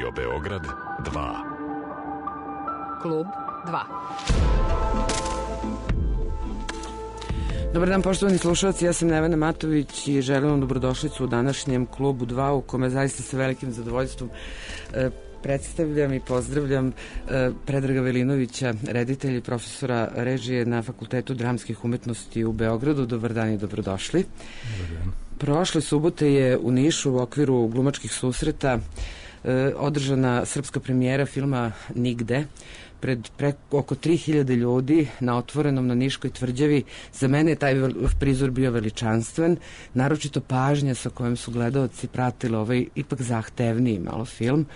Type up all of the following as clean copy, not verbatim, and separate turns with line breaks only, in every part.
Radio Beograd 2.
Klub 2. Dobar dan, poštovani slušalci, ja sam Nevena Matović i želim vam dobrodošlicu u današnjem Klubu 2, u kome zaista sa velikim zadovoljstvom predstavljam i pozdravljam Predraga Velinovića, reditelja i profesora režije na Fakultetu dramskih umetnosti u Beogradu. Dobar dan i dobrodošli.
Dobar dan.
Prošle subote je u Nišu u okviru glumačkih susreta održana srpska premijera filma Nigde pred oko 3000 ljudi na otvorenom na Niškoj tvrđavi. Za mene je taj prizor bio veličanstven, naročito pažnja sa kojom su gledaoci pratili ovaj ipak zahtevniji malo film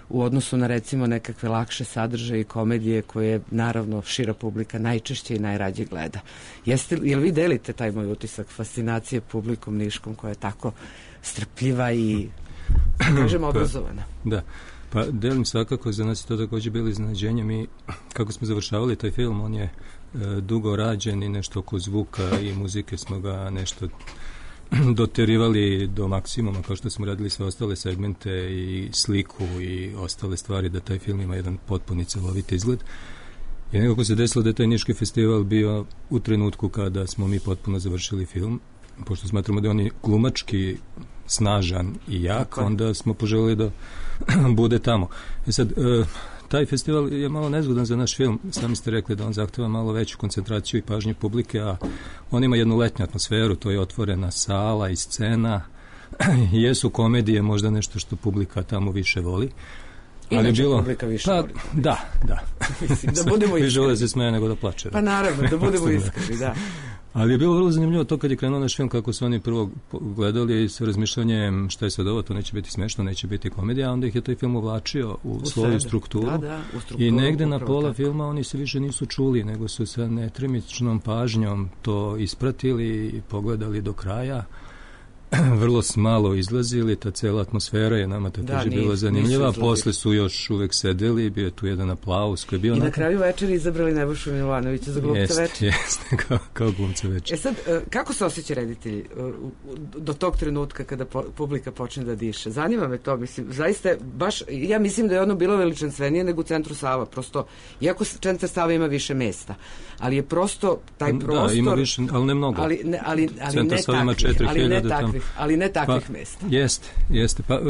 u odnosu na recimo nekakve lakše sadržaje i komedije koje naravno šira publika najčešće i najrađe gleda. Jel vi delite taj moj utisak fascinacije publikom niškom koja je tako strpljiva i kažem obrazovana?
Da. Pa delim svakako, za nas je to također bilo iznenađenje. Mi, kako smo završavali taj film, on je dugo rađen i nešto oko zvuka i muzike smo ga nešto doterivali do maksimuma, kao što smo radili sve ostale segmente i sliku i ostale stvari, da taj film ima jedan potpuni celovit izgled. I nekako se desilo da je taj Niški festival bio u trenutku kada smo mi potpuno završili film, pošto smatramo da on je glumački snažan i jak, onda smo poželjeli da bude tamo. Sad, taj festival je malo nezgodan za naš film. Sami ste rekli da on zahteva malo veću koncentraciju i pažnju publike, a on ima jednu letnju atmosferu, to je otvorena sala i scena. Jesu komedije možda nešto što publika tamo više voli.
Inače publika više voli.
Da.
Mislim, da budemo iskreni.
Više voli da se smeje nego da plače.
Pa naravno, da budemo iskreni, da.
Ali je bilo vrlo zanimljivo to kad je krenuo naš film, kako su oni prvo gledali sa razmišljanjem šta je sad ovo, to neće biti smešno, neće biti komedija, a onda ih je taj film uvlačio u svoju strukturu.
U strukturu.
I negde na pola filma oni se više nisu čuli, nego su sa netremičnom pažnjom to ispratili i pogledali do kraja. Vrlo smalo izlazili, ta cela atmosfera je nama također bila zanimljiva, posle su još uvek sedeli, bio je tu jedan aplauz koji je bio...
I na kraju večeri izabrali Nebojšu Milovanovića za glumca večeri.
Jeste, kao glumca večeri.
Sad, kako se osjeća reditelji do tog trenutka kada publika počne da diše? Zanima me to, mislim, zaista, baš, ja mislim da je ono bilo veličanstvenije nego u centru Sava, prosto, iako centar Sava ima više mesta, ali je prosto taj prostor...
Da, ima više, ali ne mnogo. Centar Sava ima 4000 tamo.
Ali ne takvih mesta.
Jeste. Pa,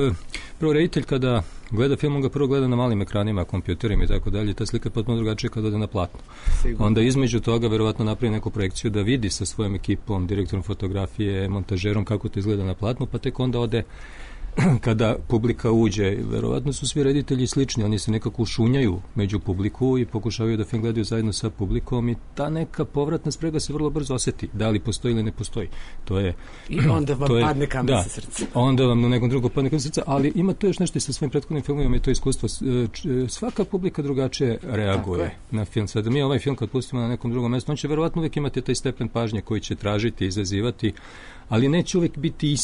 prvo reditelj kada gleda film, on ga prvo gleda na malim ekranima, kompjuterima i tako dalje. Ta slika je potpuno drugačija kada ode na platno. Sigurno. Onda između toga verovatno napravi neku projekciju da vidi sa svojom ekipom, direktorom fotografije, montažerom kako to izgleda na platnu, pa tek onda ode kada publika uđe. Verovatno su svi reditelji slični, oni se nekako ušunjaju među publiku i pokušavaju da film gledaju zajedno sa publikom i ta neka povratna sprega se vrlo brzo oseti, da li postoji ili ne postoji. To je,
i onda vam padne kamen sa srca.
Onda vam na nekom drugom padne kamen sa srca, ali ima to još nešto i sa svojim prethodnim filmovima i to iskustvo. Svaka publika drugačije reaguje na film. Sada mi ovaj film kad pustimo na nekom drugom mjestu, on će verovatno uvijek imati taj stepen pažnje koji će tražiti, izazivati, ali neće uvijek biti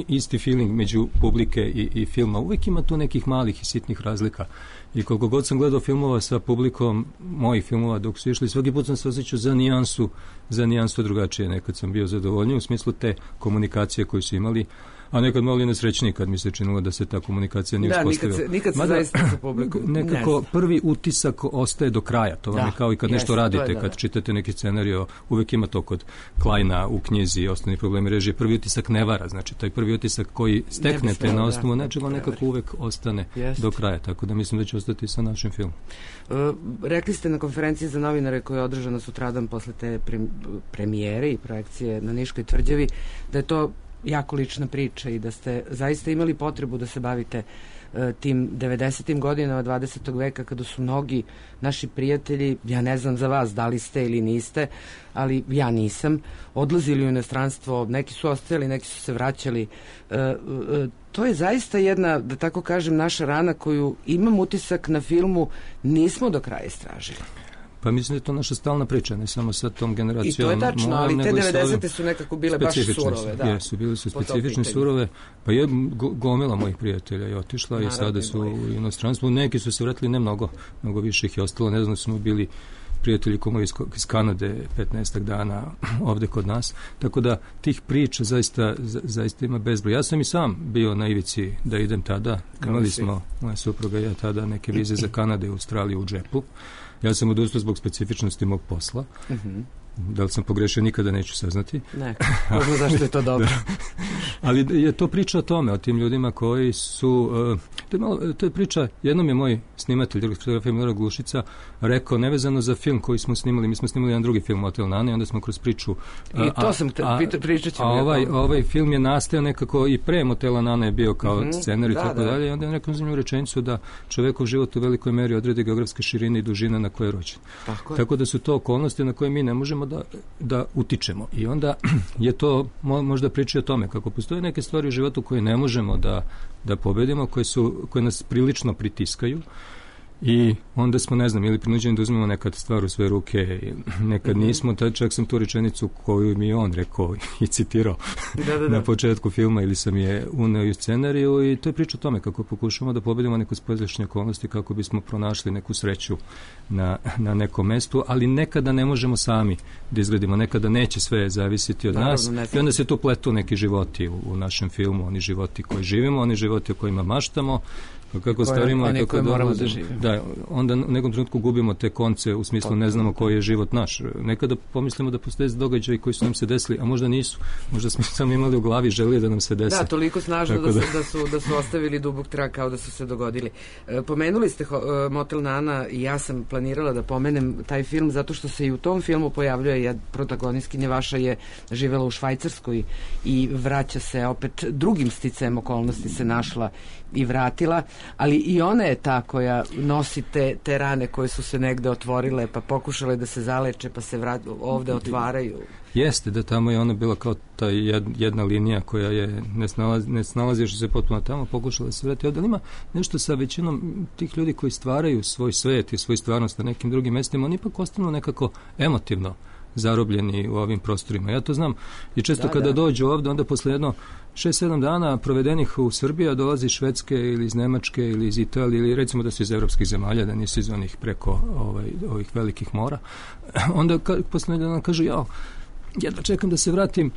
isti feeling među publike i filma. Uvijek ima tu nekih malih i sitnih razlika. I koliko god sam gledao filmova sa publikom, mojih filmova dok su išli, svaki put sam se osjećao za nijansu drugačije. Nekad sam bio zadovoljniji u smislu te komunikacije koju su imali, a nekad malo i nesrećniji kad mi se činilo da se ta komunikacija nije uspostavila.
Nikad se zaista sa publikom
nekako prvi utisak ostaje do kraja. To vam je kao i kad nešto radite, kad čitate neki scenario, uvek ima to kod Kleina u knjizi Osnovni problemi režije. Prvi utisak ne vara, znači taj prvi utisak koji steknete na osnovu nečega nekako uvek ostane do kraja, tako da mislim da će ostati sa našim filmom.
Rekli ste na konferenciji za novinare koja je održana sutradan posle te premijere i projekcije na Niškoj tvrđavi da je to jako lična priča i da ste zaista imali potrebu da se bavite tim 90. godinama 20. veka kada su mnogi naši prijatelji, ja ne znam za vas da li ste ili niste, ali ja nisam, odlazili u inostranstvo, neki su ostajali, neki su se vraćali. To je zaista jedna, da tako kažem, naša rana koju imam utisak na filmu nismo do kraja istražili.
Pa mislim da je to naša stalna priča, ne samo sa tom generacijom.
I to je tačno, ali te 90. su nekako bile baš surove.
Jesu, bili su specifične, surove. Pa je gomila mojih prijatelja je otišla. Naravno, i sada su u inostranstvu. Neki su se vratili, ne mnogo više ih je ostalo. Ne znam, smo bili prijatelji komovi iz Kanade 15 dana ovde kod nas, tako da tih priča zaista ima bezbroj. Ja sam i sam bio na ivici da idem tada, imali smo, moja supruga i ja tada, neke vize za Kanade i Australiju u džepu. Ja sam odustao zbog specifičnosti mog posla. Da li sam pogrešio, nikada neću saznati.
Ne, možda zašto je to dobro.
Ali je to priča o tome, o tim ljudima koji su... to je priča, jednom je moj snimatelj, drugog fotografija Milorad Glušica, rekao, nevezano za film koji smo snimali, mi smo snimali jedan drugi film, Motel Nana, i onda smo kroz priču...
I to sam pričat ćemo.
Ovaj film je nastao nekako i pre Motela Nana je bio kao scenar i tako dalje, i onda je rekao zanimljivu rečenicu da čovekov život u velikoj meri odredi geografske širine i dužina na koje je rođen. Tako da su to okolnosti na koje mi ne možemo da utičemo. I onda je to možda priča o tome kako postoje neke stvari u životu koje ne možemo da pobedimo, koje nas prilično pritiskaju i onda smo, ne znam, ili prinuđeni da uzmemo nekad stvar u svoje ruke, nekad nismo, čak sam tu rečenicu koju mi je on rekao i citirao na početku filma ili sam je uneo u scenariju i to je priča o tome kako pokušamo da pobedimo neku spoljašnje okolnosti kako bismo pronašli neku sreću na nekom mestu, ali nekada ne možemo sami da izgledimo, nekada neće sve zavisiti od nas i onda se tu pletu neki životi u našem filmu, oni životi koji živimo, oni životi o kojima maštamo, kako starimo, kako moramo da živimo. Da, onda u nekom trenutku gubimo te konce u smislu ne znamo koji je život naš. Nekada pomislimo da postoje događaji koji su nam se desili, a možda nisu. Možda smo samo imali u glavi želje da nam se desi.
Da, toliko snažno da su ostavili dubok trag kao da su se dogodili. Pomenuli ste Motel Nana i ja sam planirala da pomenem taj film zato što se i u tom filmu pojavljuje protagonistkinja vaša je živela u Švajcarskoj i vraća se opet drugim sticajem okolnosti se našla i vratila, ali i ona je ta koja nosi te rane koje su se negde otvorile, pa pokušale da se zaleče, pa se ovde otvaraju.
Jeste, da tamo je ona bila kao ta jedna linija koja je ne snalaziš se potpuno tamo, pokušala da se vrati ovde, ali ima nešto sa većinom tih ljudi koji stvaraju svoj svet i svoju stvarnost na nekim drugim mestima, oni ipak ostanu nekako emotivno zarobljeni u ovim prostorima. Ja to znam i često kada dođu ovde, onda posle jedno 6-7 dana provedenih u Srbiji, dolazi iz Švedske ili iz Nemačke ili iz Italije ili recimo da su iz evropskih zemalja, da nisu iz onih preko ovih velikih mora, onda posle dana kažu jedva čekam da se vratim,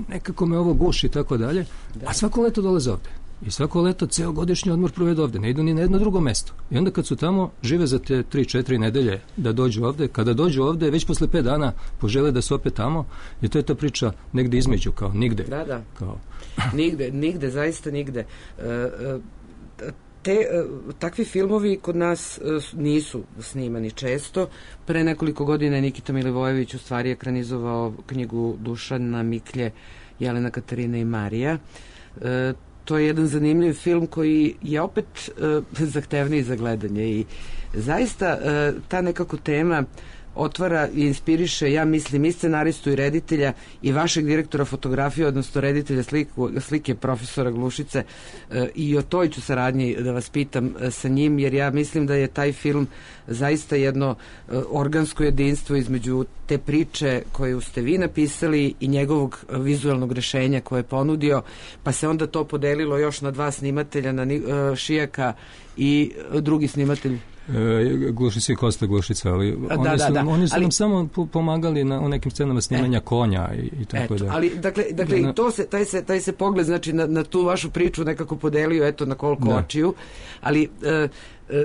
nekako me ovo guši i tako dalje, a svako leto dolaze ovde. I svako leto ceo godišnji odmor provedu ovde, ne idu ni na jedno drugo mesto. I onda kad su tamo, žive za te 3-4 nedelje da dođu ovde, kada dođu ovde, već posle 5 dana požele da su opet tamo, i to je ta priča negde između, kao nigde.
Da. Kao... nigde, zaista nigde. Takvi filmovi kod nas nisu snimani često. Pre nekoliko godina je Nikita Milivojević u stvari ekranizovao knjigu Dušana Miklje, Jelena, Katarina i Marija. To je jedan zanimljiv film koji je opet zahtevniji za gledanje i zaista ta nekako tema otvara i inspiriše, ja mislim, i scenaristu i reditelja i vašeg direktora fotografije, odnosno reditelja slike profesora Glušice, i o toj ću saradnji da vas pitam sa njim, jer ja mislim da je taj film zaista jedno organsko jedinstvo između te priče koju ste vi napisali i njegovog vizualnog rešenja koje je ponudio, pa se onda to podelilo još na 2 snimatelja, na Šijaka i drugi snimatelj
Glušica i Kosta Glušica, ali oni su nam samo pomagali u nekim scenama snimanja konja i tako da.
Ali dakle taj se pogled, znači na tu vašu priču nekako podelio, eto, na koliko očiju, ali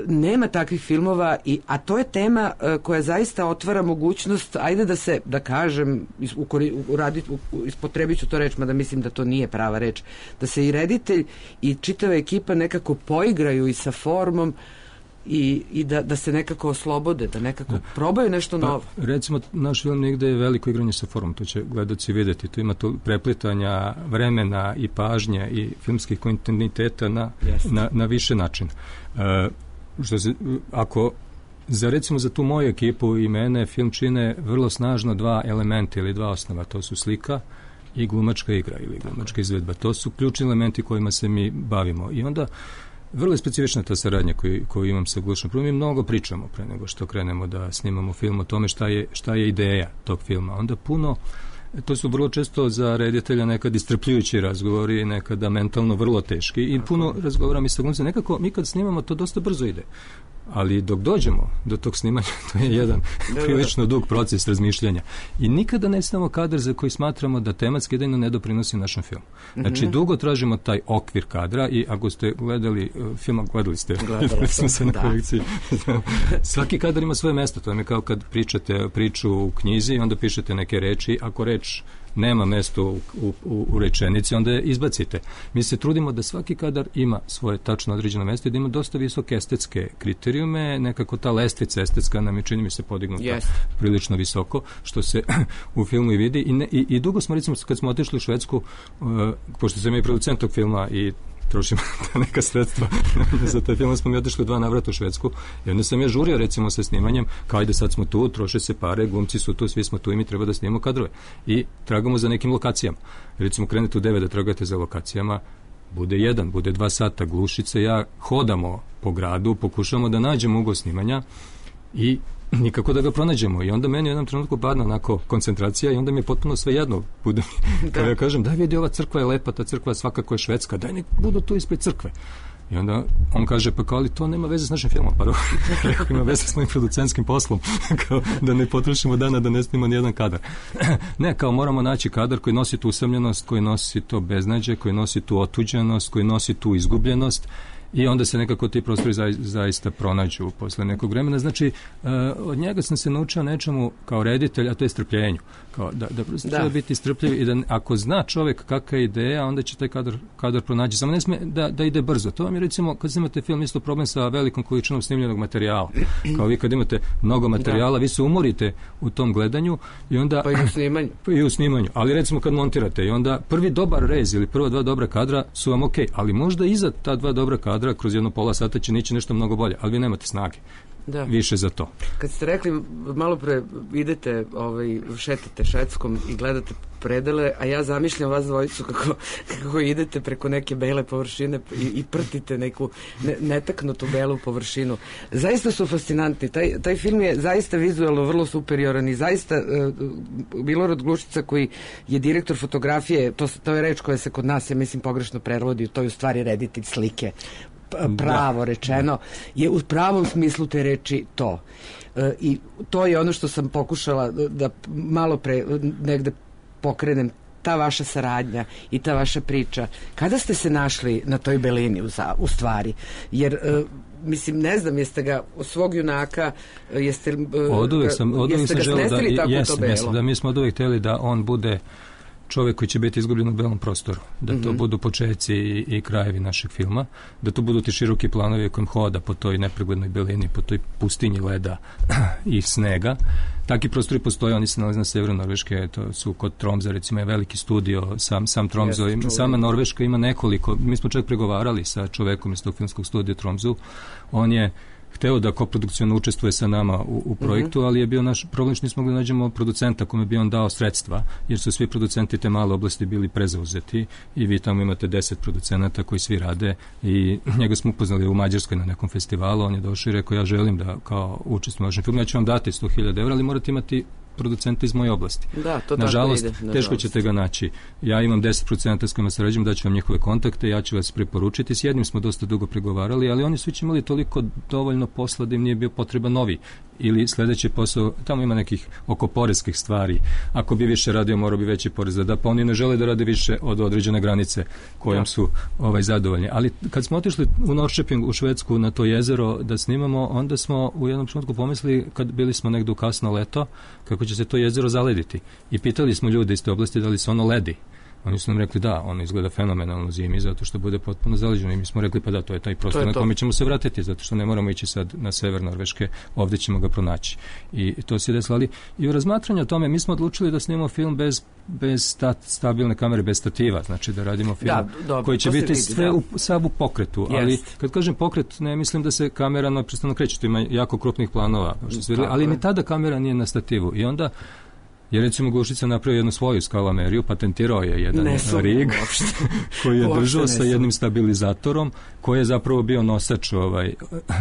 nema takvih filmova, a to je tema koja zaista otvara mogućnost, ajde da kažem, ispotrebit ću to reč, mada mislim da to nije prava reč, da se i reditelj i čitava ekipa nekako poigraju i sa formom i da se nekako oslobode, da nekako probaju nešto novo.
Recimo, naš film Nigde je veliko igranje sa formom, to će gledaoci vidjeti. Tu ima to preplitanja vremena i pažnje i filmskih kontinuiteta na više načina. Ako recimo za tu moju ekipu i mene film čine vrlo snažno 2 elementa ili 2 osnova, to su slika i glumačka igra ili glumačka izvedba. To su ključni elementi kojima se mi bavimo. I onda vrlo je specifična ta saradnja koju imam sa Glušom. Prvo mi mnogo pričamo pre nego što krenemo da snimamo film o tome šta je ideja tog filma. Onda puno, to su vrlo često za reditelja nekad istrpljujući razgovori, nekada mentalno vrlo teški i puno razgovaram i sa glumcem. Nekako mi kad snimamo to dosta brzo ide. ali dok dođemo do tog snimanja, to je jedan prilično dug proces razmišljanja. I nikada ne stavimo kadar za koji smatramo da tematski jedino ne doprinosi našem filmu. Znači, dugo tražimo taj okvir kadra i ako ste gledali film, gledali smo se na projekciji. Svaki kadar ima svoje mesto. To je kao kad pričate priču u knjizi i onda pišete neke reči. Ako reč nema mesto u rečenici, onda je izbacite. Mi se trudimo da svaki kadar ima svoje tačno određeno mesto i da ima dosta visoke estetske kriterijume, nekako ta lestvica estetska nam je, čini mi se, podignuta prilično visoko, što se u filmu i vidi. I dugo smo, recimo, kad smo otišli u Švedsku, pošto sam i producent tog filma i trošimo neka sredstva za taj film, smo mi otišli 2 navrata u Švedsku i onda sam ja žurio, recimo, sa snimanjem, kao ajde sad smo tu, troše se pare, glumci su tu, svi smo tu i mi treba da snimamo kadrove i tragamo za nekim lokacijama. Recimo, krenete u 9 da tragate za lokacijama, bude 1, bude 2 sata, Glušice, ja hodamo po gradu, pokušamo da nađemo ugao snimanja i nikako da ga pronađemo. I onda meni u jednom trenutku padne onako koncentracija i onda mi je potpuno sve jedno. Kao ja kažem, daj vidi, ova crkva je lepa, ta crkva svakako je švedska, daj nek budu tu ispred crkve. I onda on kaže, pa kao, ali to nema veze s našim filmom. Pa rekao, ima veze s mojim producentskim poslom. Kao, da ne potrošimo dana da ne snimamo nijedan kadar. Ne, kao moramo naći kadar koji nosi tu usamljenost, koji nosi to beznađe, koji nosi tu otuđenost, koji nosi tu izgubljenost. I onda se nekako ti prostori zaista pronađu posle nekog vremena. Znači, od njega sam se naučio nečemu kao reditelj, a to je strpljenju. Kao da prosto treba biti strpljiv i da ako zna čovjek kakva je ideja, onda će taj kadar pronaći. Samo ne sme da ide brzo. To vam je, recimo, kad imate film, isto problem sa velikom količinom snimljenog materijala. Kao vi kad imate mnogo materijala, vi se umorite u tom gledanju i onda...
Pa i u snimanju.
Pa i u snimanju. Ali recimo kad montirate i onda prvi dobar rez ili prva 2 dobra kadra su vam okej, ali možda iza ta 2 dobra kadra kroz jedno pola sata će nići nešto mnogo bolje, ali vi nemate snage više za to.
Kad ste rekli, malo pre idete, šetate Švedskom i gledate predele, a ja zamišljam vas dvojicu kako idete preko neke bele površine i prtite neku netaknutu belu površinu. Zaista su fascinantni. Taj film je zaista vizualno vrlo superioran i zaista Milorad Glušica, koji je direktor fotografije, to je reč koja se kod nas, ja mislim, pogrešno prevodi, to je u stvari reditelj slike, pravo rečeno, je u pravom smislu te reči to. I to je ono što sam pokušala da malo pre negde pokrenem, ta vaša saradnja i ta vaša priča. Kada ste se našli na toj belini u stvari? Jer mislim, ne znam, jeste ga svog junaka, jeste ga snestili tako to belo?
Da, mi smo od uvek htjeli da on bude čovjek koji će biti izgubljen u belom prostoru, da to budu počeci i krajevi našeg filma, da to budu ti široki planovi kojim hoda po toj nepreglednoj belini, po toj pustinji leda i snega. Taki prostori postoje, oni se nalaze na severu Norveške, to su kod Tromsa, recimo je veliki studio, sam Tromso, sama Norveška ima nekoliko, mi smo čak pregovarali sa čovekom iz tog filmskog studija Tromsu, on je hteo da koprodukcijno učestvuje sa nama u projektu, ali je bio naš problem što nismo mogli da nađemo producenta kome bi on dao sredstva, jer su svi producenti te male oblasti bili prezauzeti i vi tamo imate 10 producenata koji svi rade i njega smo upoznali u Mađarskoj na nekom festivalu, on je došao i rekao, ja želim da kao učestvujem u vašem filmu, ja ću vam dati 100.000 evra, ali morate imati producenta iz moje oblasti.
Da, to
nažalost,
tako ide.
Teško ćete ga naći. Ja imam 10 producenta s kojima sarađujem, daću vam njihove kontakte, ja ću vas preporučiti. S jednim smo dosta dugo pregovarali, ali oni su već imali toliko dovoljno posla da im nije bio potreba novi. Ili sledeći posao, tamo ima nekih oko poreskih stvari. Ako bi više radio, morao bi veći porez da da, pa oni ne žele da rade više od određene granice kojom su zadovoljni. Ali kad smo otišli u Norrköping, u Švedsku, na to jezero da snimamo, onda smo u jednom trenutku pomislili, kad bili smo negde u kasno leto, kako će se to jezero zalediti. I pitali smo ljude iz te oblasti da li se ono ledi. Oni su nam rekli da, ono izgleda fenomenalno zimi zato što bude potpuno zaleđeno i mi smo rekli pa da, to je taj prostor na kome ćemo se vratiti zato što ne moramo ići sad na sever Norveške, ovdje ćemo ga pronaći. I to se desilo, ali i u razmatranju o tome mi smo odlučili da snimamo film bez stabilne kamere, bez stativa, znači da radimo film koji će biti sve sav u pokretu, ali kad kažem pokret, ne mislim da se kamera neprestano kreće, to ima jako krupnih planova, ali ni tada kamera nije na stativu i onda Jer recimo Glušica napravio jednu svoju skalameriju, patentirao je jedan rig koji je držao sa jednim stabilizatorom koji je zapravo bio nosač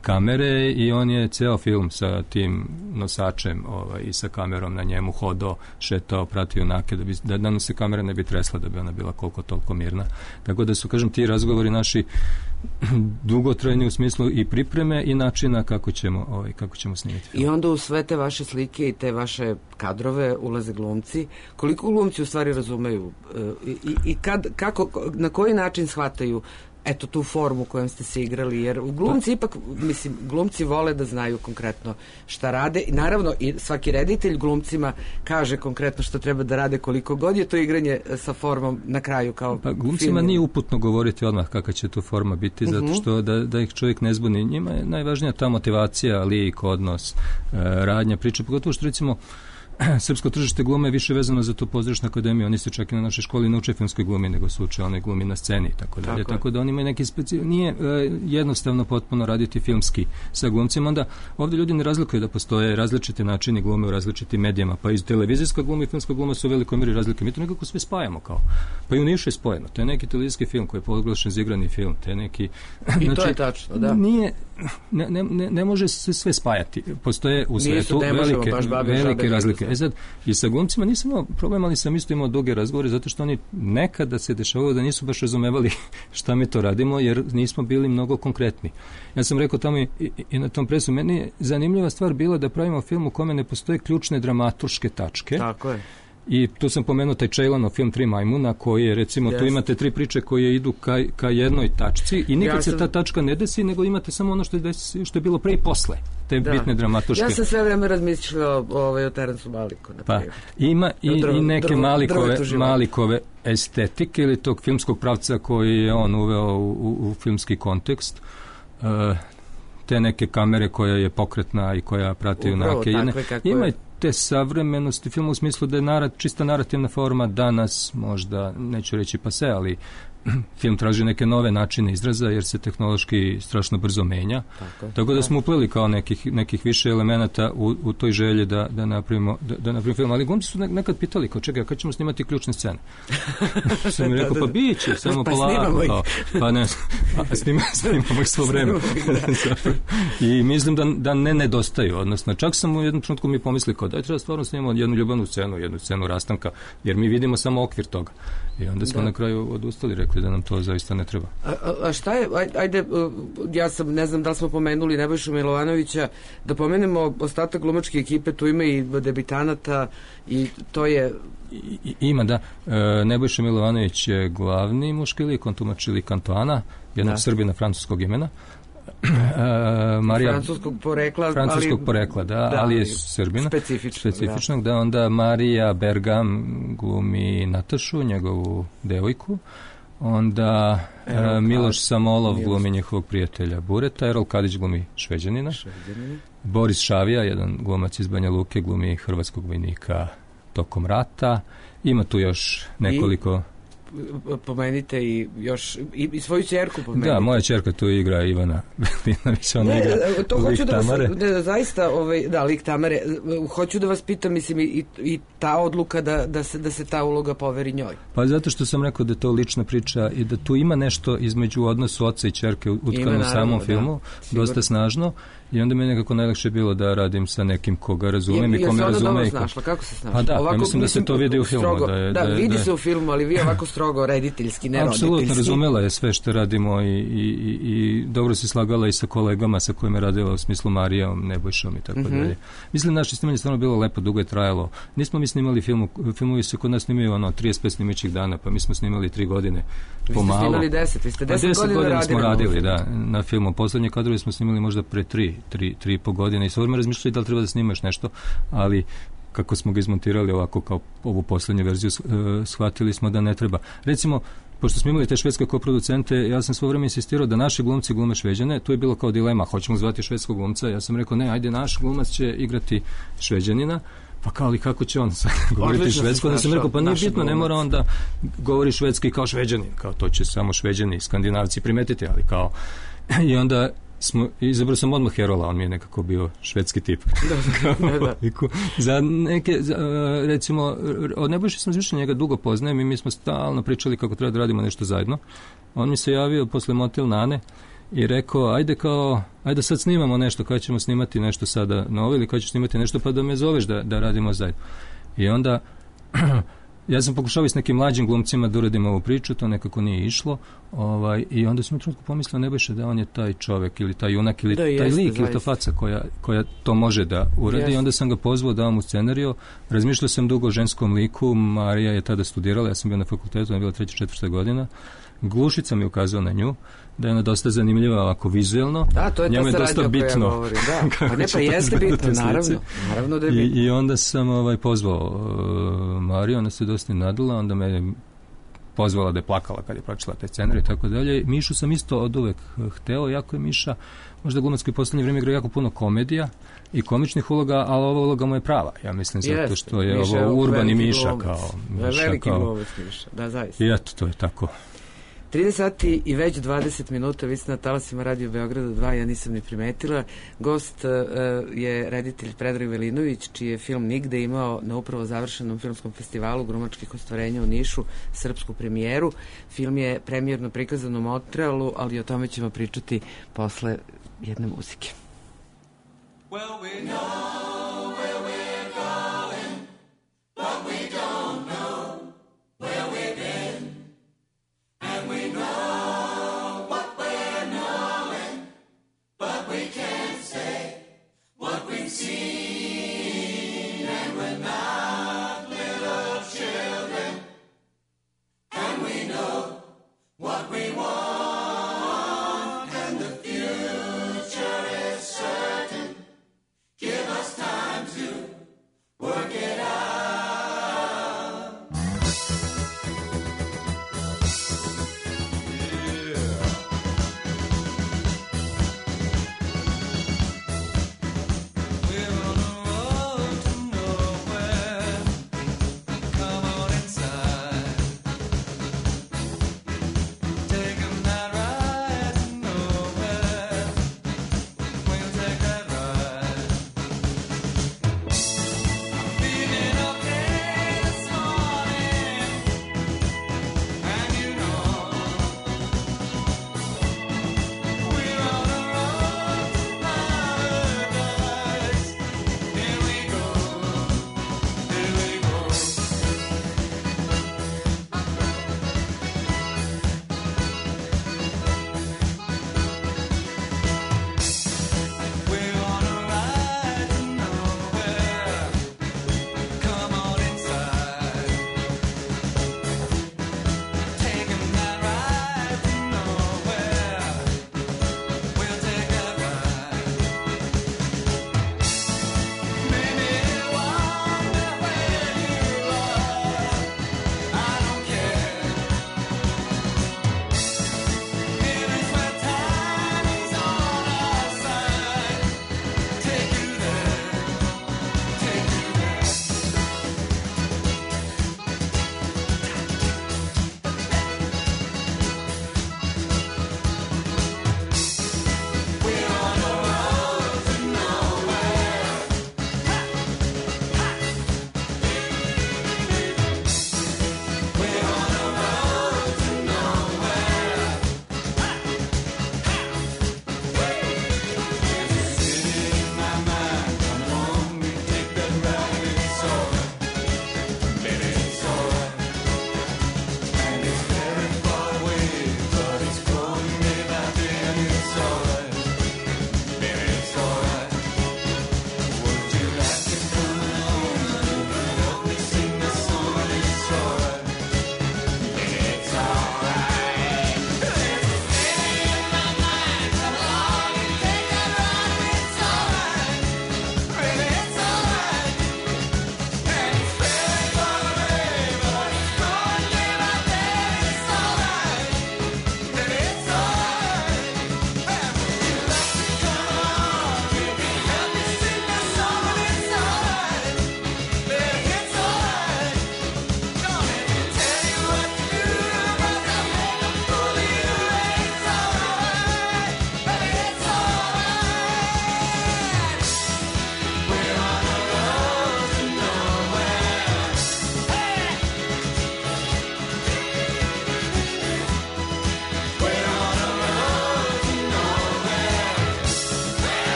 kamere i on je ceo film sa tim nosačem i sa kamerom na njemu hodao, šetao, pratio junake da nam se kamera ne bi tresla, da bi ona bila koliko toliko mirna. Tako da su, kažem, ti razgovori naši dugotrajni u smislu i pripreme i načina kako ćemo snimiti film.
I onda u sve te vaše slike i te vaše kadrove ulaze glumci. Koliko glumci u stvari razumeju i kako, na koji način shvataju tu formu kojom ste se igrali, jer glumci ipak, glumci vole da znaju konkretno šta rade i naravno i svaki reditelj glumcima kaže konkretno što treba da rade, koliko god je to igranje sa formom na kraju kao
glumcima nije uputno govoriti odmah kakva će tu forma biti, zato što da ih čovjek ne zbuni. Njima je najvažnija ta motivacija, lik, odnos, radnja, priča, pogotovo što recimo srpsko tržište glume je više vezano za tu pozorišnu akademiju. Oni se čak i na našoj školi ne uče filmskoj glumi, nego se uče onoj glumi na sceni i tako dalje. Tako da oni imaju neki nije jednostavno potpuno raditi filmski sa glumcima. Onda ovdje ljudi ne razlikuju da postoje različiti načini glume u različitim medijama, pa i televizijska gluma i filmska gluma su u velikoj mjeri razlike. Mi to nekako sve spajamo kao. Pa i u Nišu je spojeno. To je neki televizijski film koji je proglašen za igrani film. To je neki...
I to je tačno, da.
Ne može se sve spajati. Postoje u svetu velike razlike. Sad, i sa glumcima nisam imao problem, ali sam isto imao duge razgovore, zato što oni nekada se dešavalo da nisu baš razumevali šta mi to radimo, jer nismo bili mnogo konkretni. Ja sam rekao tamo i na tom presu, meni je zanimljiva stvar bila da pravimo film u kome ne postoje ključne dramaturške tačke.
Tako je.
I tu sam pomenuo taj Čejlanov film Tri majmuna, koji je, recimo, tu imate tri priče koje idu ka jednoj tačci i nikad se ta tačka ne desi, nego imate samo ono što je bilo pre i posle, te bitne dramaturške.
Ja sam sve vreme razmišljala o Terensu Maliku.
Pa, ima i neke Malikove estetike ili tog filmskog pravca koji je on uveo u filmski kontekst. Te neke kamere koja je pokretna i koja prati junake. Ima i te savremenosti filma u smislu da je čista narativna forma danas, možda, neću reći pase, ali film traži neke nove načine izraza jer se tehnološki strašno brzo menja. Tako da smo upleli kao nekih više elemenata u toj želji da napravimo film. Ali glumci su nekad pitali kao čekaj, kad ćemo snimati ključne scene? Sam mi rekao, pa biće, samo polako. Pa ne, snimamo ih svo vreme. I mislim da ne nedostaju. Odnosno, čak sam u jednom trenutku mi pomislili kao da treba stvarno snimamo jednu ljubavnu scenu, jednu scenu rastanka, jer mi vidimo samo okvir toga. I onda smo na kraju odustali, rekli da nam to zaista ne treba.
A šta je, ajde, ja sam, ne znam da li smo pomenuli Nebojšu Milovanovića, da pomenemo ostatak glumačke ekipe, tu ima i debitanata i to je...
Ima, da. Nebojša Milovanović je glavni muški lik, on tumači lik Antoana, jednog Srbina francuskog imena.
Francuskog
porekla, ali je Srbina. Specifičnog, da. Onda Marija Bergam glumi Natašu, njegovu devojku. Onda Miloš Samolov glumi njihovog prijatelja Bureta, Erol Kadić glumi Šveđanina. Boris Šavija, jedan glumac iz Banja Luke, glumi hrvatskog vojnika tokom rata. Ima tu još nekoliko...
Pomenite i još i svoju ćerku pomenite.
Da, moja ćerka tu igra Ivana Belinović, ona igra lik Tamare.
Zaista, lik Tamare. Hoću da vas pitam, mislim, i ta odluka da se ta uloga poveri njoj.
Pa zato što sam rekao da je to lična priča i da tu ima nešto između odnosu oca i ćerke utkano u samom filmu, dosta snažno. I onda mi je nekako najlakše bilo da radim sa nekim koga razumem i kome razume.
Kako se snašla?
Pa da, ovako, mislim da se to vidi u filmu.
Vidi se u filmu, ali vi ovako strogo rediteljski, ne roditeljski.
Apsolutno, razumela je sve što radimo i dobro se slagala i sa kolegama sa kojima je radila u smislu Marijom, Nebojšom i tako dalje. Mislim, naše snimanje stvarno bilo lepo, dugo je trajalo. Nismo mi snimali filmovi se kod nas snimaju 35 snimećih dana, pa mi smo snimali 3 godine pomalo.
Vi ste snimali 10, vi ste 10
godina smo radili, da, na filmu. Poslednje kadrove smo snimali možda pre 3,5 godine i sve vreme razmišljali da li treba da snimaš nešto, ali kako smo ga izmontirali ovako kao ovu poslednju verziju, shvatili smo da ne treba. Recimo, pošto smo imali te švedske koproducente, ja sam svo vreme insistirao da naši glumci glume Šveđane, tu je bilo kao dilema, hoćemo zvati švedskog glumca, ja sam rekao ne, ajde, naš glumac će igrati Šveđanina, pa kao, ali kako će on sad govoriti švedsko? Da sam rekao, pa nije bitno, ne mora on da govori švedski kao Šveđanin, kao to će samo Šveđani, Skandinavci primetiti, ali kao... I onda izabrao sam odmah Herola, on mi je nekako bio švedski tip.
Da.
Za neke, recimo, od Nebojše sam više njega dugo poznajem i mi smo stalno pričali kako treba da radimo nešto zajedno. On mi se javio posle Motel Nane i rekao, ajde sad snimamo nešto, kada ćemo snimati nešto sada novo ili kada ćeš snimati nešto, pa da me zoveš da radimo zajedno. I onda ja sam pokušao s nekim mlađim glumcima da uradimo ovu priču, to nekako nije išlo, i onda sam u trenutku pomislio Nebojša da on je taj čovjek ili taj junak ili taj lik ili ta faca koja to može da uradi. I onda sam ga pozvao da mu scenariju. Razmišljao sam dugo o ženskom liku, Marija je tada studirala, ja sam bio na fakultetu, ona je bila 3. 4. godina. Glušica mi ukazao na nju, da je ona dosta zanimljiva ovako vizuelno.
Da, to je
njemu
ta
je dosta bitno.
Da, pa ne, pa jeste bitno, naravno da je bitno.
I onda sam pozvao Mariju, ona se dosta nadala, onda me pozvala da je plakala kad je pročitala taj scenarij i tako dalje. Mišu sam isto od uvek hteo, jako je Miša, možda glumac koji u poslednje vrijeme igra jako puno komedija i komičnih uloga, ali ova uloga mu je prava, ja mislim, zato što je ovo urbani Miša kao...
Veliki glumac Miša, da, zaista.
I eto, to je tako.
13 sati i već 20 minuta, vi ste na talasima Radio Beograda 2, ja nisam ni primetila. Gost je reditelj Predrag Velinović, čiji je film Nigde imao na upravo završenom filmskom festivalu glumačkih ostvarenja u Nišu srpsku premijeru. Film je premijerno prikazan u Montrealu, ali o tome ćemo pričati posle jedne muzike.
Well, we know where we're going, but we don't know where we've been. And we know what we're knowing, but we can't say what we've seen. And we're not little children, and we know what we want, and the future is certain. Give us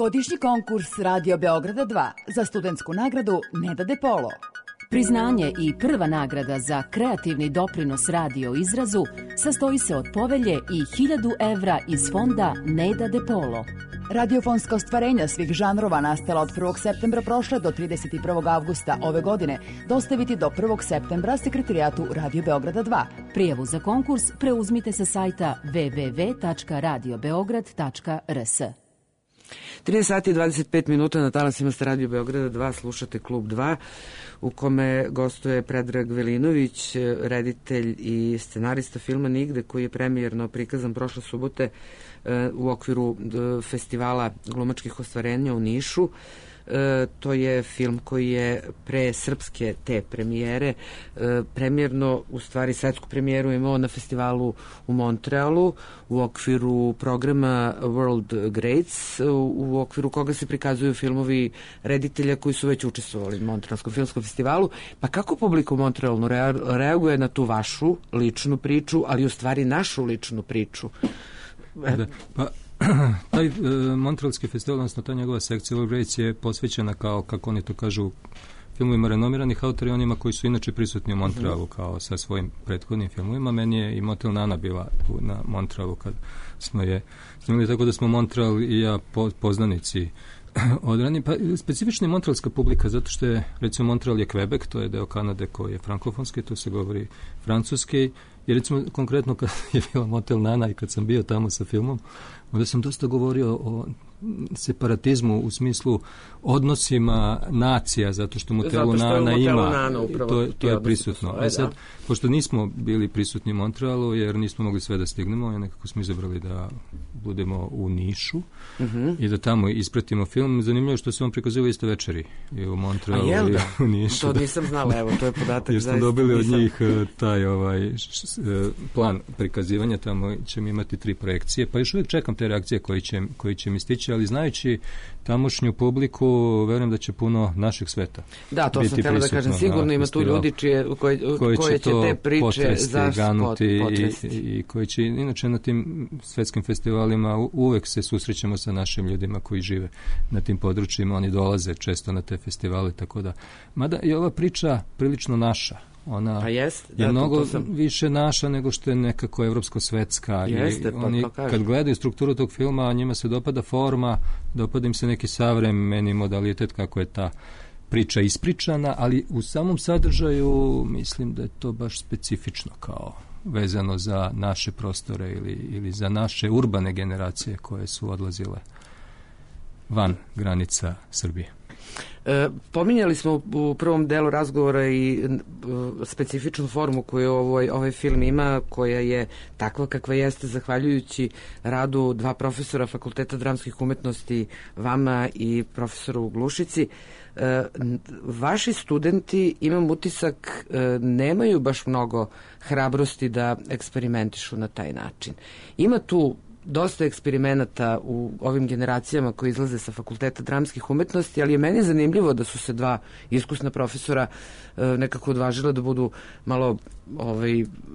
Ovogodišnji konkurs Radio Beograda 2 za studentsku nagradu Neda De Polo.
Priznanje i prva nagrada za kreativni doprinos radio izrazu sastoji se od povelje i 1000 evra iz fonda Neda De Polo.
Radiofonska ostvarenja svih žanrova nastala od 1. septembra prošle do 31. avgusta ove godine dostaviti do 1. septembra sekretarijatu Radio Beograda 2.
Prijavu za konkurs preuzmite sa sajta www.radiobeograd.rs.
13 sati i 25 minuta na talasima sa Radio Beograda 2, slušate Klub 2, u kome gostuje Predrag Velinović, reditelj i scenarista filma Nigde, koji je premijerno prikazan prošle subote u okviru festivala glumačkih ostvarenja u Nišu. To je film koji je pre srpske te premijere premijerno, u stvari svetsku premijeru imao na festivalu u Montrealu u okviru programa World Greats, u okviru koga se prikazuju filmovi reditelja koji su već učestvovali u Montrealskom filmskom festivalu. Pa kako publika u Montrealu reaguje na tu vašu ličnu priču, ali u stvari našu ličnu priču?
Da, pa taj Montrealski festival, odnosno ta njegova sekcija World Greats je posvećena, kao kako oni to kažu, filmovima renomiranih autora i onima koji su inače prisutni u Montrealu kao sa svojim prethodnim filmovima. Meni je i Motel Nana bila na Montrealu kad smo je snimili, tako da smo Montreal i ja poznanici odrani. Pa specifična je montrealska publika, zato što je, recimo, Montreal je Quebec, to je deo Kanade koji je frankofonski, tu se govori francuski. I recimo, konkretno kad je bila Motel Nana i kad sam bio tamo sa filmom, onda sam dosta govorio o separatizmu u smislu odnosima nacija, zato što Motelu Nana ima, to je prisutno. A sad, pošto nismo bili prisutni u Montrealu, jer nismo mogli sve da stignemo, i nekako smo izabrali da budemo u Nišu i da tamo ispratimo film. Zanimljivo je što se on prikazuje iste večeri i u Montrealu i u Nišu.
To nisam znala, evo, to je podatak.
Jer smo dobili od njih taj plan prikazivanja, tamo ćemo imati 3 projekcije, pa još uvijek čekam te reakcije koji će mi stići, ali znajući tamošnju publiku, verujem da će puno našeg sveta.
Da, to sam htjela da kažem, sigurno ima tu ljudi koje će te priče potresti.
I koji će, inače na tim svetskim festivalima uvek se susrećemo sa našim ljudima koji žive na tim područjima, oni dolaze često na te festivale, tako da, mada je ova priča prilično naša. Ona je mnogo više naša nego što je nekako evropsko-svetska. Oni kad gledaju strukturu tog filma, njima se dopada forma, dopada im se neki savremeni modalitet kako je ta priča ispričana, ali u samom sadržaju mislim da je to baš specifično, kao vezano za naše prostore ili za naše urbane generacije koje su odlazile van granica Srbije.
Pominjali smo u prvom delu razgovora i specifičnu formu koju ovaj film ima, koja je takva kakva jeste zahvaljujući radu 2 profesora Fakulteta dramskih umetnosti, vama i profesoru u Glušici. Vaši studenti, imam utisak, nemaju baš mnogo hrabrosti da eksperimentišu na taj način. Ima tu dosta eksperimenata u ovim generacijama koji izlaze sa Fakulteta dramskih umetnosti, ali je meni zanimljivo da su se 2 iskusna profesora nekako odvažila da budu malo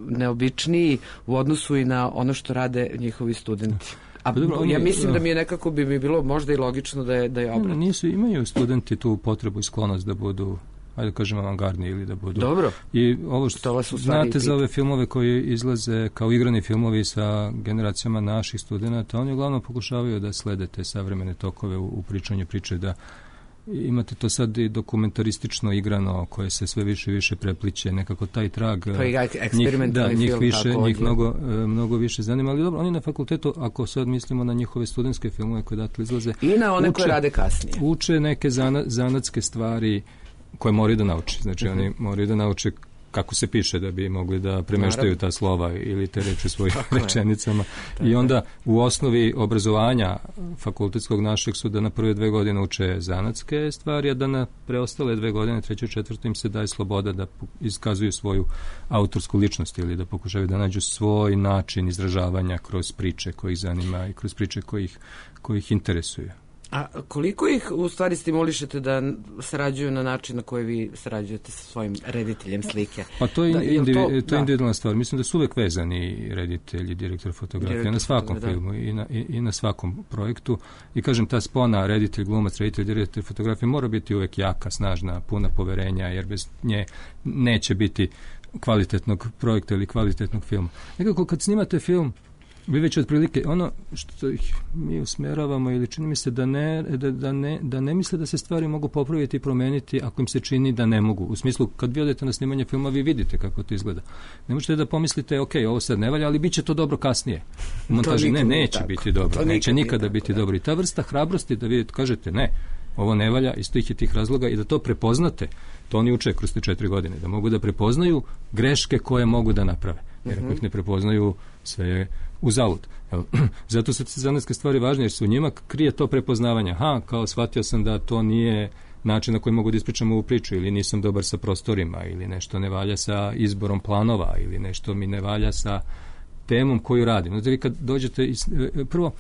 neobičniji u odnosu i na ono što rade njihovi studenti. A ja mislim da mi je nekako bi mi bilo možda i logično da je obrat.
Imaju studenti tu potrebu i sklonost da budu, ajde da kažem, avangardni ili da budu.
Dobro.
I ovo što znate za ove filmove koji izlaze kao igrani filmovi sa generacijama naših studenta, oni uglavnom pokušavaju da slede te savremene tokove u pričanju priče, da imate to sad i dokumentaristično igrano koje se sve više i više prepliće, nekako taj trag njih mnogo više zanima, ali dobro, oni na fakultetu, ako sad mislimo na njihove studentske filmove koje datle izlaze,
i na one koje rade kasnije,
uče neke zanatske stvari koje moraju da nauče. Znači, oni moraju da nauče kako se piše da bi mogli da premeštaju ta slova ili te reči svojim rečenicama. I onda u osnovi obrazovanja fakultetskog našeg su da na prve 2 godine uče zanatske stvari, a da na preostale 2 godine, 3. i 4. im se daje sloboda da iskazuju svoju autorsku ličnost ili da pokušaju da nađu svoj način izražavanja kroz priče koji ih zanima i kroz priče koji ih interesuju.
A koliko ih u stvari stimulišete da sarađuju na način na koji vi sarađujete sa svojim rediteljem slike?
Pa to je individualna stvar. Mislim da su uvek vezani reditelji, direktor fotografije na svakom filmu i na svakom projektu. I kažem, ta spona reditelj, glumac, reditelj, direktor fotografije mora biti uvek jaka, snažna, puna poverenja, jer bez nje neće biti kvalitetnog projekta ili kvalitetnog filma. Nekako kad snimate film, vi već otprilike ono što mi usmeravamo ili čini mi se da ne misle da se stvari mogu popraviti i promeniti ako im se čini da ne mogu. U smislu, kad vi odete na snimanje filma, vi vidite kako to izgleda. Ne možete da pomislite, ok, ovo sad ne valja, ali bit će to dobro kasnije. U montaži neće biti dobro, neće nikada biti dobro. I ta vrsta hrabrosti da vi kažete ne, ovo ne valja iz tih razloga i da to prepoznate, to oni uče kroz te 4 godine, da mogu da prepoznaju greške koje mogu da naprave. Jer ako ih ne prepoznaju, sve je uzalud. Zato su te zanatske stvari važne, jer se u njima krije to prepoznavanje. Kao shvatio sam da to nije način na koji mogu da ispričam ovu priču, ili nisam dobar sa prostorima, ili nešto ne valja sa izborom planova, ili nešto mi ne valja sa temom koju radim. Znači, vi kad dođete, prvo,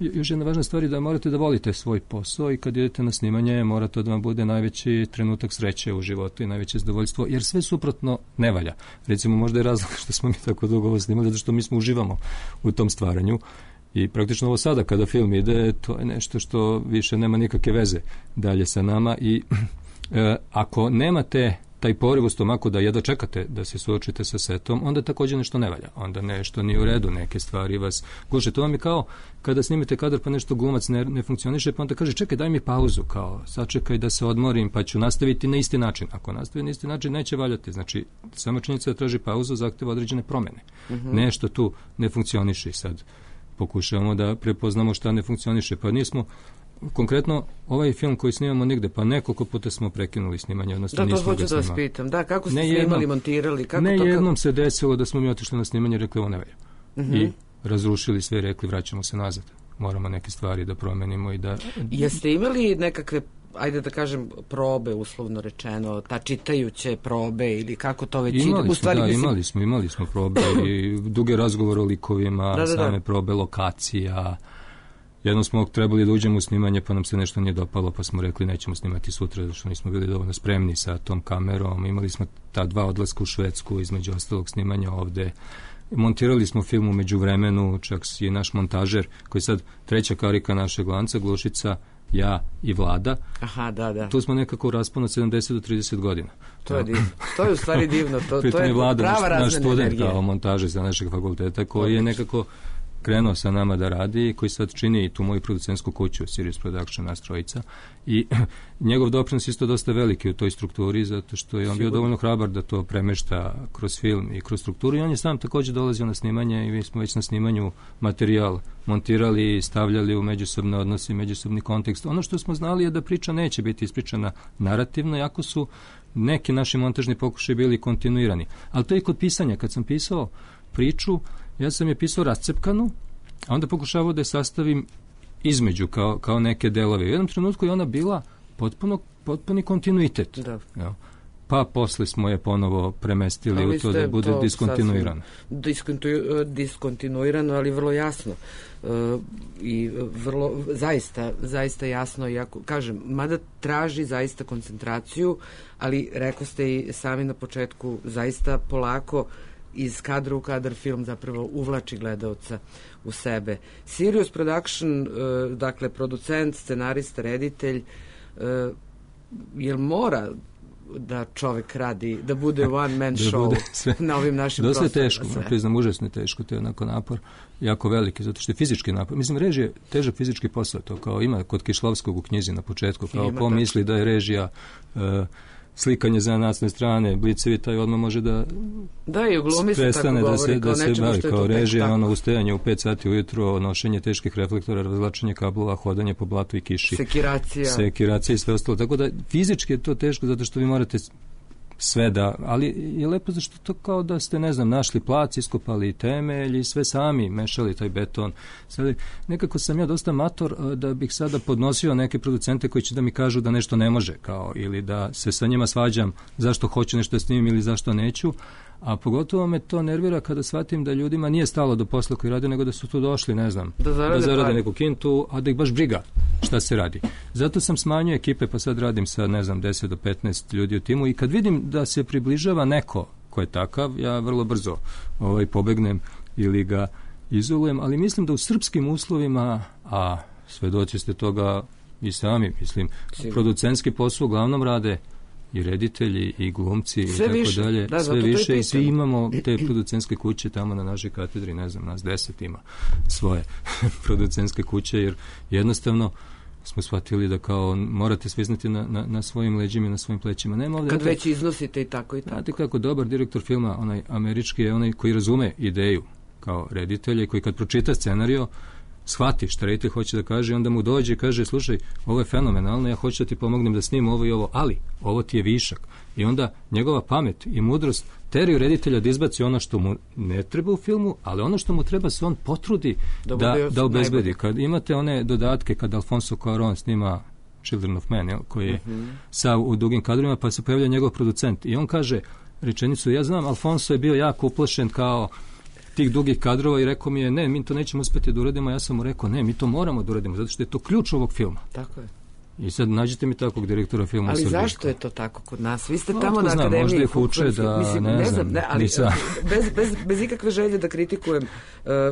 još jedna važna stvar je da morate da volite svoj posao i kad idete na snimanje mora to da vam bude najveći trenutak sreće u životu i najveće zadovoljstvo, jer sve suprotno ne valja. Recimo, možda je razlog što smo mi tako dugo ovo snimali, zato što mi smo uživamo u tom stvaranju i praktično ovo sada kada film ide, to je nešto što više nema nikakve veze dalje sa nama i ako nemate taj poriv u stomaku da jedva čekate da se suočite sa setom, onda također nešto ne valja. Onda nešto nije u redu, neke stvari vas guše. To vam je kao kada snimite kadar pa nešto glumac ne funkcioniše, pa onda kaže čekaj daj mi pauzu, kao sačekaj da se odmorim pa ću nastaviti na isti način. Ako nastavi na isti način neće valjati. Znači, sama činjenica da traži pauzu zahteva određene promjene. Nešto tu ne funkcioniše. Sad pokušavamo da prepoznamo šta ne funkcioniše. Pa nismo konkretno ovaj film koji snimamo nigde, pa nekoliko puta smo prekinuli snimanje, odnosno nismo ga snimali. Da, to hoću da vas pitam. Da, kako ste snimali, montirali? Jednom se desilo da smo mi otišli na snimanje i rekli ovo ne valja. I razrušili sve i rekli vraćamo se nazad. Moramo neke stvari da promenimo i da...
Jeste imali nekakve, ajde da kažem, probe, uslovno rečeno, ta čitajuće probe ili kako to već ide?
Imali smo probe i duge razgovore o likovima, same probe lokacija. Jednom smo trebali da uđemo u snimanje, pa nam se nešto nije dopalo, pa smo rekli nećemo snimati sutra, zato što nismo bili dovoljno spremni sa tom kamerom. Imali smo ta 2 odlaska u Švedsku, između ostalog snimanja ovde. Montirali smo film u međuvremenu, čak i naš montažer, koji je sad 3. karika našeg lanca, Glušica, ja i Vlada.
Aha, da.
Tu smo nekako u rasponu od 70 do 30 godina.
To je divno. To je u stvari divno. To je
Vlada,
prava razmena energije.
Naš student kao montažer za našeg fakulteta, koji je nekako krenuo sa nama da radi i koji sad čini i tu moju producentsku kuću Sirius Production, nas trojica, i njegov doprinos isto dosta veliki u toj strukturi, zato što je on bio dovoljno hrabar da to premešta kroz film i kroz strukturu i on je sam također dolazio na snimanje i mi smo već na snimanju materijal montirali i stavljali u međusobne odnose i međusobni kontekst. Ono što smo znali je da priča neće biti ispričana narativno, jako su neki naši montažni pokušaji bili kontinuirani. Ali to je i kod pisanja. Kad sam pisao priču, ja sam je pisao rascepkanu, a onda pokušavao da je sastavim između kao neke delove. U jednom trenutku je ona bila potpuni kontinuitet. Ja. Pa posle smo je ponovo premestili u to da bude diskontinuirano.
Diskontinuirano, ali vrlo jasno. I vrlo, zaista jasno. Iako, kažem, mada traži zaista koncentraciju, ali rekao ste i sami na početku, zaista polako iz kadra u kadar film zapravo uvlači gledaoca u sebe. Sirius Production, dakle producent, scenarista, reditelj, jel mora da čovek radi, da bude one man show na ovim našim prostorima?
Dosta je teško, priznam, užasno je teško, to je onako napor, jako veliki, zato što je fizički napor. Mislim, režija je težak fizički posao, to kao ima kod Kišlovskog u knjizi na početku, kao ko misli da je režija slikanje za nasne strane, blicevi, taj odmah može da
i u glumi se tako govori
da se bavi kao režija, ustajanje u 5 sati ujutro, nošenje teških reflektora, razvlačenje kablova, hodanje po blatu i kiši, sekiracija i sve ostalo. Tako da fizički je to teško zato što vi morate sve ali je lepo zašto to kao da ste, ne znam, našli plac, iskopali temelj i sve sami mešali taj beton. Sad, nekako sam ja dosta mator da bih sada podnosio neke producente koji će da mi kažu da nešto ne može, kao, ili da se sa njima svađam zašto hoću nešto da snimim ili zašto neću, A pogotovo me to nervira kada shvatim da ljudima nije stalo do posla koji rade, nego da su tu došli, ne znam, da zarade neku kintu, a da ih baš briga šta se radi. Zato sam smanjio ekipe, pa sad radim sa, ne znam, 10 do 15 ljudi u timu i kad vidim da se približava neko ko je takav, ja vrlo brzo pobegnem ili ga izolujem, ali mislim da u srpskim uslovima, a svedoci ste toga i sami, mislim, producentski posao uglavnom rade i reditelji i glumci i tako dalje, sve više i svi imamo te producentske kuće tamo na našoj katedri, ne znam, nas 10 ima svoje producentske kuće, jer jednostavno smo shvatili da kao morate sviznati na svojim leđima i na svojim plećima. Nema ovdje,
kad već iznosite i tako i tako.
Znate kako dobar direktor filma, onaj američki, je onaj koji razume ideju kao reditelja i koji kad pročita scenario shvati šta reditelj hoće da kaže i onda mu dođe i kaže, slušaj, ovo je fenomenalno, ja hoću da ti pomognem da snimim ovo i ovo, ali ovo ti je višak. I onda njegova pamet i mudrost teraju reditelja da izbaci ono što mu ne treba u filmu, ali ono što mu treba se on potrudi da obezbedi. Kad imate one dodatke, kad Alfonso Cuarón snima Children of Men, koji je sav u dugim kadrovima, pa se pojavlja njegov producent i on kaže rečenicu, ja znam, Alfonso je bio jako uplašen kao tih dugih kadrova i rekao mi je, ne, mi to nećemo uspjeti da uradimo, ja sam mu rekao, ne, mi to moramo da uradimo, zato što je to ključ ovog filma.
Tako je.
I sad nađite mi takvog direktora filma.
Ali zašto je to tako kod nas? Vi ste tamo na akademiji.
Možda ih uče da, mislim, ne znam,
ali bez ikakve želje da kritikujem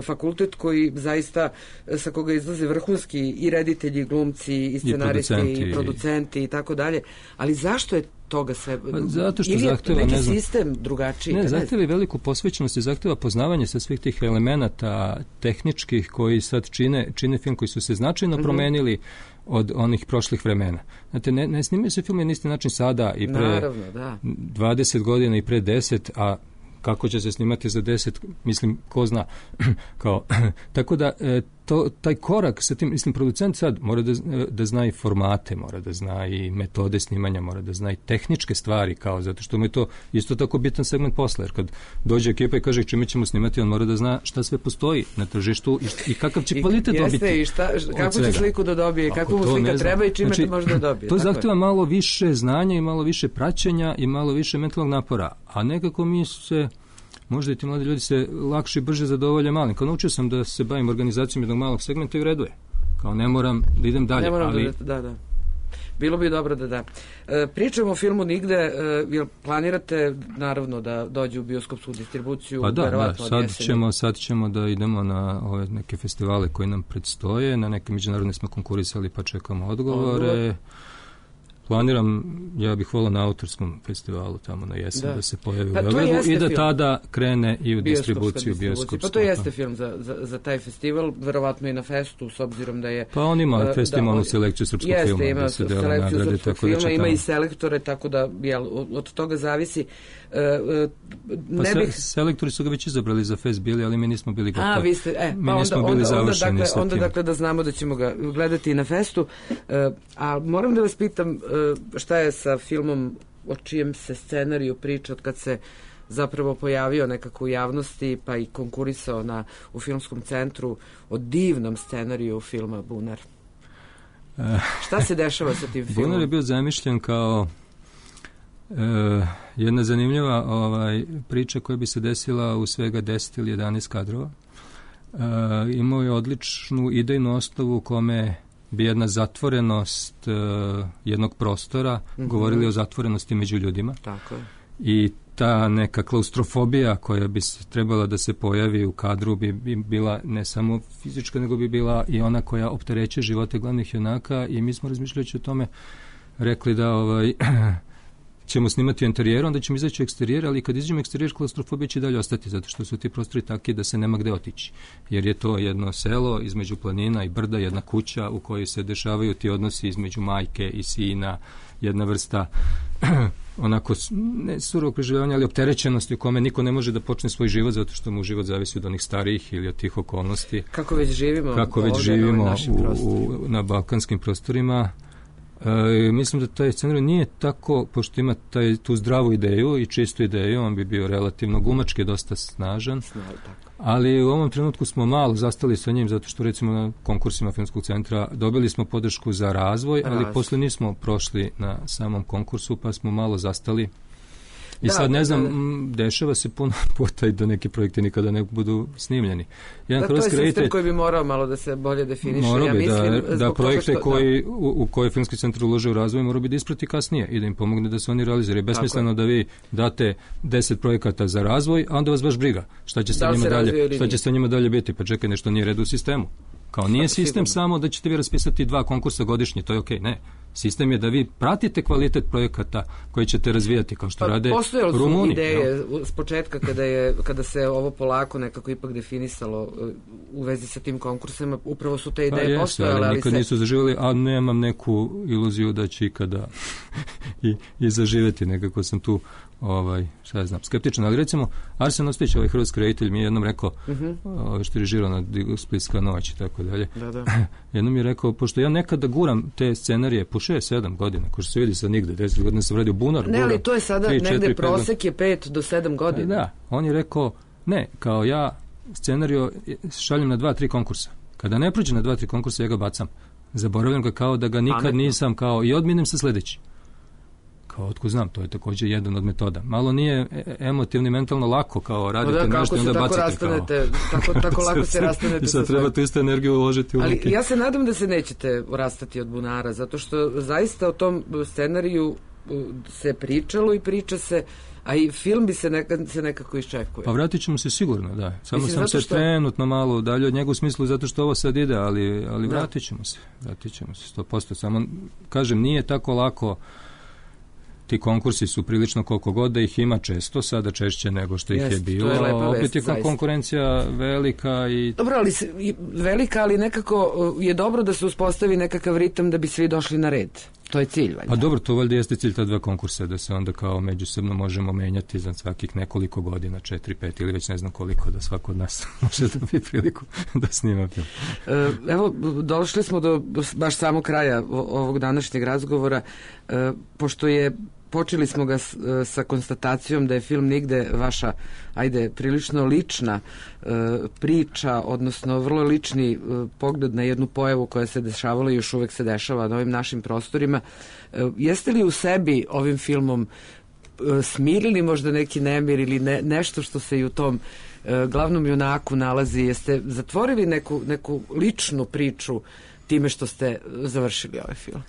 fakultet koji zaista, sa koga izlaze vrhunski i reditelji, i glumci, i scenaristi, i producenti i tako dalje. Ali zašto je toga sve?
Zato što zahteva
neki sistem drugačiji.
Ne, zahteva i veliku posvećenost i zahteva poznavanje sa svih tih elemenata tehničkih koji sad čine film, koji su se značajno promenili od onih prošlih vremena. Znate, ne snimaju se film na isti način sada i pre 20 godina i pre 10, a kako će se snimati za 10, mislim, ko zna. Tako da, taj korak sa tim, mislim, producent sad mora da zna i formate, mora da zna i metode snimanja, mora da zna i tehničke stvari, zato što mu je to isto tako bitan segment posla, jer kad dođe ekipa i kaže čime ćemo snimati, on mora da zna šta sve postoji na tržištu i kakav će kvalitet dobiti.
Jeste, i kako će sliku da dobije, kako mu slika treba i čime to može da dobije.
To zahteva malo više znanja i malo više praćenja i malo više mentalnog napora, a nekako mi se možda i ti mladi ljudi se lakše i brže zadovolje malim. Kao naučio sam da se bavim organizacijom jednog malog segmenta i u redu je. Kao ne moram da idem dalje.
Da. Bilo bi dobro da. Pričamo o filmu Nigde, jel planirate naravno da dođe u bioskopsku distribuciju?
Pa da, sad ćemo da idemo na ove neke festivale koji nam predstoje, na neke međunarodne smo konkurisali pa čekamo odgovore. Planiram, ja bih volao na autorskom festivalu tamo na jesen da se pojavi u Beogradu i da tada krene i u distribuciju bioskopsku.
Pa to jeste film za taj festival, verovatno i na festu, s obzirom da je...
Pa on ima festivalnu selekciju srpskog filma.
Jeste, ima selekciju srpskog filma, ima i selektore, tako da od toga zavisi.
Selektori su ga već izabrali za fest bili, ali mi nismo bili gotovi.
Vi ste,
mi nismo bili završeni sa tim.
Onda dakle da znamo da ćemo ga gledati i na festu. A moram da vas pitam šta je sa filmom o čijem se scenariju priča od kad se zapravo pojavio nekako u javnosti pa i konkurisao u filmskom centru o divnom scenariju filma Bunar. Šta se dešava sa tim filmom?
Bunar je bio zamišljen kao jedna zanimljiva priča koja bi se desila u svega 10 ili 11 kadrova. Imao je odličnu idejnu osnovu u kome bi jedna zatvorenost jednog prostora govorili o zatvorenosti među ljudima.
Tako je.
I ta neka klaustrofobija koja bi trebala da se pojavi u kadru bi bila ne samo fizička, nego bi bila i ona koja opterećuje živote glavnih junaka i mi smo razmišljajući o tome rekli da ćemo snimati u interijeru, onda ćemo izaći u eksterijer, ali kad izađemo u eksterijer, klaustrofobija će dalje ostati, zato što su ti prostori takvi da se nema gde otići. Jer je to jedno selo između planina i brda, jedna kuća u kojoj se dešavaju ti odnosi između majke i sina, jedna vrsta onako, ne surovog preživljavanja, ali opterećenosti u kome niko ne može da počne svoj život, zato što mu život zavisi od onih starijih ili od tih okolnosti.
Kako već živimo
na balkanskim prostorima. Mislim da taj scenarij nije tako, pošto ima tu zdravu ideju i čistu ideju, on bi bio relativno glumački dosta snažan, ali u ovom trenutku smo malo zastali sa njim, zato što recimo na konkursima Filmskog centra dobili smo podršku za razvoj, ali posle nismo prošli na samom konkursu, pa smo malo zastali. I sad ne znam, dešava se puno puta i da neki projekti nikada ne budu snimljeni.
Jedan to je sistem koji bi morao malo da se bolje definiše.
Morao bi da projekte u koje Filmski centar ulože u razvoj morao bi da isprati kasnije i da im pomogne da se oni realiziraju. Besmisleno da vi date 10 projekata za razvoj, a onda vas baš briga. Šta će sa njima dalje biti? Pa čekaj, nešto nije red u sistemu. Kao nije sistem samo da ćete vi raspisati 2 konkursa godišnje, to je okej, ne. Sistem je da vi pratite kvalitet projekata koji ćete razvijati, kao što rade Rumuni.
Postojali su ideje s početka kada se ovo polako nekako ipak definisalo u vezi sa tim konkursima, upravo su te ideje postojale.
Ali nikad nisu zaživjeli, a nemam neku iluziju da će ikada i zaživjeti. Nekako sam tu šta ja znam, skeptičan, ali recimo Arsen Ostojić, hrvatski reditelj, mi je jednom rekao, što je režirao na Splitska noć i tako dalje, jednom je rekao, pošto ja nekada guram te scenarije po 6-7 godina, ko što se vidi sad nigde, 10 godina sam radio bunar.
Ne, ali to je sada 3, negde 4, prosek je 5 do 7 godina.
Da, on je rekao, ne, kao ja scenario šaljem na 2-3 konkursa. Kada ne prođe na 2-3 konkursa, ja ga bacam. Zaboravljam ga kao da ga nikad nisam kao i odminem se sledeći. Kao otko znam, to je također jedan od metoda. Malo nije emotivno i mentalno lako kao radite nešto i onda bacite
tako lako se rastanete.
I sad treba tu istu energiju uložiti u
ruke. Ali ja se nadam da se nećete rastati od bunara, zato što zaista o tom scenariju se pričalo i priča se, a i film bi se nekako iščekuje.
Pa vratit ćemo se sigurno, da. Samo sam se trenutno malo udalje od njega u smislu zato što ovo sad ide, ali vratit ćemo se 100%. Samo, kažem, nije tako lako. Ti konkursi su prilično koliko god da ih ima često, sada češće nego što ih je bilo. Opet je konkurencija velika i...
Dobro, ali velika, ali nekako je dobro da se uspostavi nekakav ritam da bi svi došli na red. To je cilj, valjda.
Pa dobro, to valjda jeste cilj ta 2 konkursa, da se onda kao međusobno možemo menjati za svakih nekoliko godina, 4, 5 ili već ne znam koliko, da svako od nas može dobiti priliku da snima film.
Evo, došli smo do baš samog kraja ovog današnjeg razgovora, pošto počeli smo ga sa konstatacijom da je film Nigde vaša, prilično lična priča, odnosno vrlo lični pogled na jednu pojavu koja se dešavala i još uvek se dešava na ovim našim prostorima. Jeste li u sebi ovim filmom smirili možda neki nemir ili nešto što se i u tom glavnom junaku nalazi? Jeste zatvorili neku ličnu priču time što ste završili ovaj film?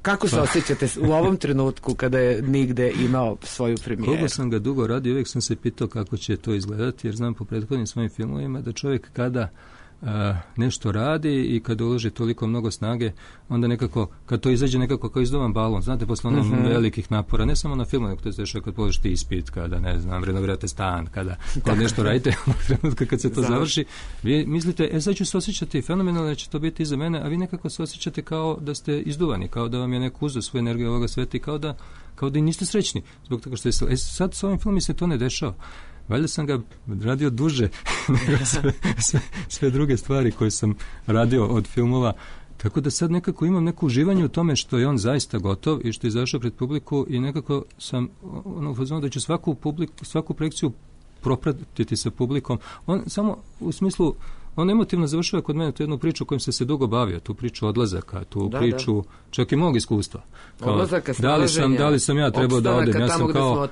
Kako se osjećate u ovom trenutku kada je Nigde imao svoju premijeru?
Koliko sam ga dugo radio, uvijek sam se pitao kako će to izgledati, jer znam po prethodnim svojim filmovima da čovjek kada nešto radi i kada uloži toliko mnogo snage, onda nekako, kad to izađe nekako kao izdovan balon, znate, posle onom velikih napora, ne samo na filmu, nego to se dešava kad položite ispit, kada, ne znam, renovirate stan, kada nešto radite, u trenutku kad se to završi, vi mislite, sad ću se osjećati fenomenalno, da će to biti iza mene, a vi nekako se osjećate kao da ste izduvani, kao da vam je neko uzeo svoju energiju ovoga sveta i kao da i niste srećni, zbog toga što je sad s ovim filmom se to ne dešava. Valjda sam ga radio duže nego sve druge stvari koje sam radio od filmova, tako da sad nekako imam neko uživanje u tome što je on zaista gotov i što je izašao pred publiku i nekako sam u fazonu da ću svaku projekciju propratiti sa publikom. On samo u smislu, on emotivno završava kod mene tu jednu priču kojom se dugo bavio, tu priču odlazaka, tu priču čak i mog iskustva.
Odlazaka, snalaženja,
da li sam ja trebao da odem?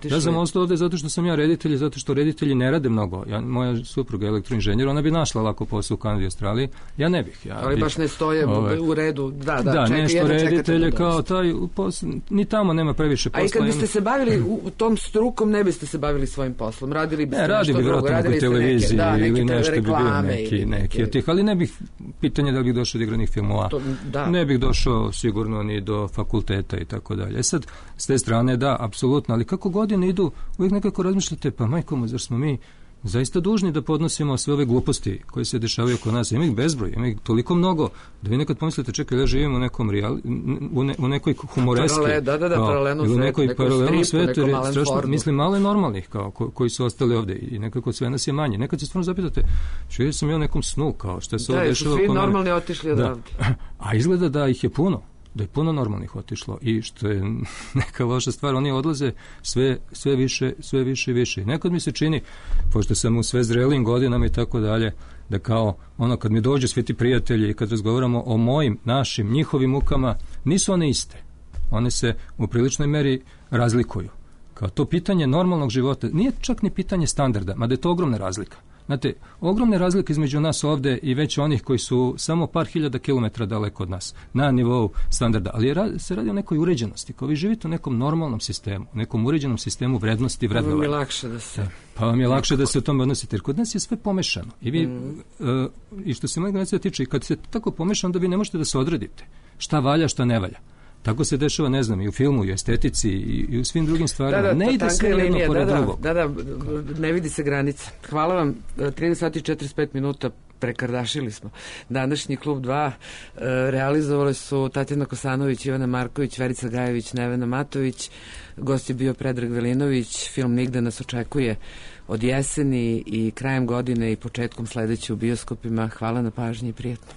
Ja sam ostao ovde zato što sam ja reditelj, zato što reditelji ne rade mnogo. Moja supruga je elektroinženjer, ona bi našla lako posao u Kanadi i Australiji, ja ne bih.
Ali baš ne stoje u redu. Da,
nešto reditelje kao taj, ni tamo nema previše posla.
A i kad biste se bavili u tom strukom, ne biste se bavili svojim poslom, radili biste nešto drugo, radili ste neke reklame
neki od tih, ali ne bih, pitanje da bih došao do igranih filmova, ne bih došao sigurno ni do fakulteta i tako dalje. Sad, s te strane, da, apsolutno, ali kako godine idu, uvijek nekako razmišljate, pa majko, zar smo mi zaista dužni da podnosimo sve ove gluposti koje se dešavaju oko nas. Ima ih bezbroj, ima ih toliko mnogo da vi nekad pomislite, čekaj, ja živim u nekom u nekoj humoreski,
ili
u nekoj paralelnom svetu, mislim malo je normalnih kao koji su ostali ovde i nekako sve nas je manje. Nekad se stvarno zapitate, živio sam ja u nekom snu, kao šta se ovo dešava oko mene.
Da, svi normalni otišli odavde.
A izgleda da ih je puno. Da je puno normalnih otišlo i što je neka loša stvar, oni odlaze sve više i više. Nekad mi se čini, pošto sam u sve zrelim godinama i tako dalje, da kao kad mi dođu svi ti prijatelji i kad razgovaramo o mojim, našim, njihovim mukama, nisu one iste. One se u priličnoj meri razlikuju. Kao to pitanje normalnog života nije čak ni pitanje standarda, mada je to ogromna razlika. Znate, ogromne razlike između nas ovde i već onih koji su samo par hiljada kilometara daleko od nas, na nivou standarda, ali se radi o nekoj uređenosti. Kao vi živite u nekom normalnom sistemu, u nekom uređenom sistemu vrednosti i vrednovanja.
Pa vam je lakše da se...
Pa vam je lakše da se o tome odnosite, jer kod nas je sve pomešano. I vi, i što se moje generacije tiče, i kad se tako pomešano, onda vi ne možete da se odredite. Šta valja, šta ne valja. Tako se dešava, ne znam, i u filmu, i u estetici, i u svim drugim stvarima. Ne ide sve jedno pored drugog.
Da, ne vidi se granica. Hvala vam, 13 sati i 45 minuta prekardašili smo. Današnji Klub 2 realizovali su Tatjana Kosanović, Ivana Marković, Verica Gajević, Nevena Matović. Gost je bio Predrag Velinović. Film Nigde nas očekuje od jeseni i krajem godine i početkom sledeće u bioskopima. Hvala na pažnji i prijetno.